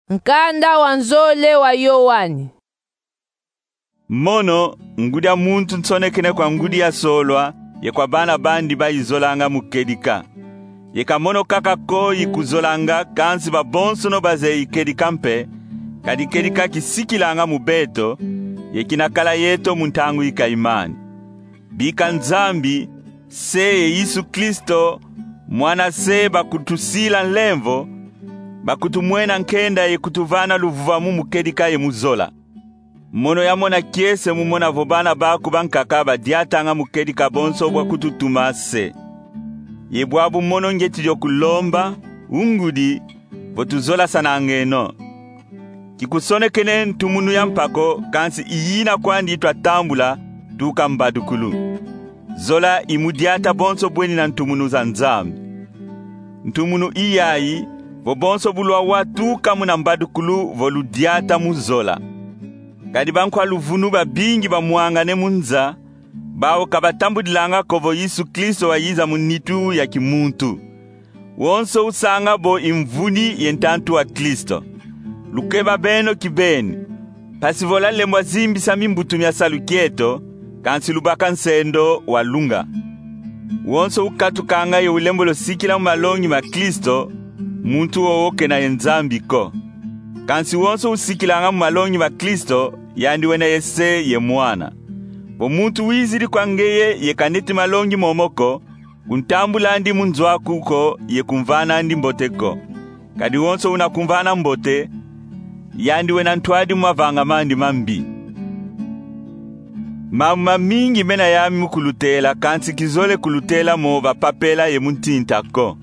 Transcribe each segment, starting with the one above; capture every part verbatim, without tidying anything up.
Nkanda wa nzole wa Yoani. Mono, Ngudi a Muntu nsonekene kwa ngudi ya solwa ye kwa bana bandi bayizolanga mu kedika. Ye ka mono kaka ko yikuzolanga, kansi babonsono bazeyi kedika mpe, kadi kedika kisikilanga mu beto, ye kinakala yeto mu ntangu yi kayimani. Bika Nzambi, Se ye Yesu Kristo, Mwana Se, bakutusila nlemvo, bakutumwena nkenda ye kutuvana luvuvamu mu kedika ye mu zola. Mono yamona kiese mu mona vo bana baku bankaka badiatanga mu kedika bonso bwa kututuma Se. Ye bwabu mono ngieti dio kulomba, o Ngudi, vo tuzolasanangeno. Kikusonekene ntumunu ya mpa ko, kansi i yina kwandi twatambula tuka mbadukulu. Zola i mu diata bonso bweni na ntumunu za Nzambi. Ntumunu i yayi, vo bonso bu lwawatuka muna mbadukulu vo ludiata mu zola. Kadi bankwa luvunu babingi bamwangane mu nza, bau ka batambudilanga ko vo Yesu Kristo wayiza mu nitu ya kimuntu. Wonso usanga bo i mvuni ye ntantu wa Kristo. Lukeba beno kibeni, mpasi vo lwalembwa zimbisa mimbutu mia salu kieto, kansi lubaka nsendo wa lunga. Wonso ukatukanga ye ulembolo sikila mu malongi ma Kristo, muntu wowo kena ye Nzambi ko. Kansi wonso usikilanga mu malongi ma Kristo, yandi wena ye Se ye Mwana. Vo muntu wizidi kwa ngeye ye kaneti malongi momo ko, kuntambula andi mu nzo aku ko ye kumvana andi mbote ko. Kadi wonso una kumvana mbote, yandi wena ntwadi mu mavanga mandi mambi. Mambu mamingi mena yami mu kulutela, kansi kizole kulutela mo va papela ye mu ntinta ko.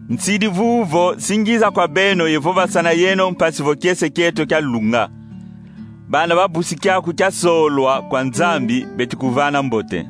Nsidi vuvu vo si ngiza kwa beno ye vovasana yeno mpasi vo kiese kieto kia lunga. Bana ba busi kiaku kia solwa kwa Nzambi beti kuvana mbote.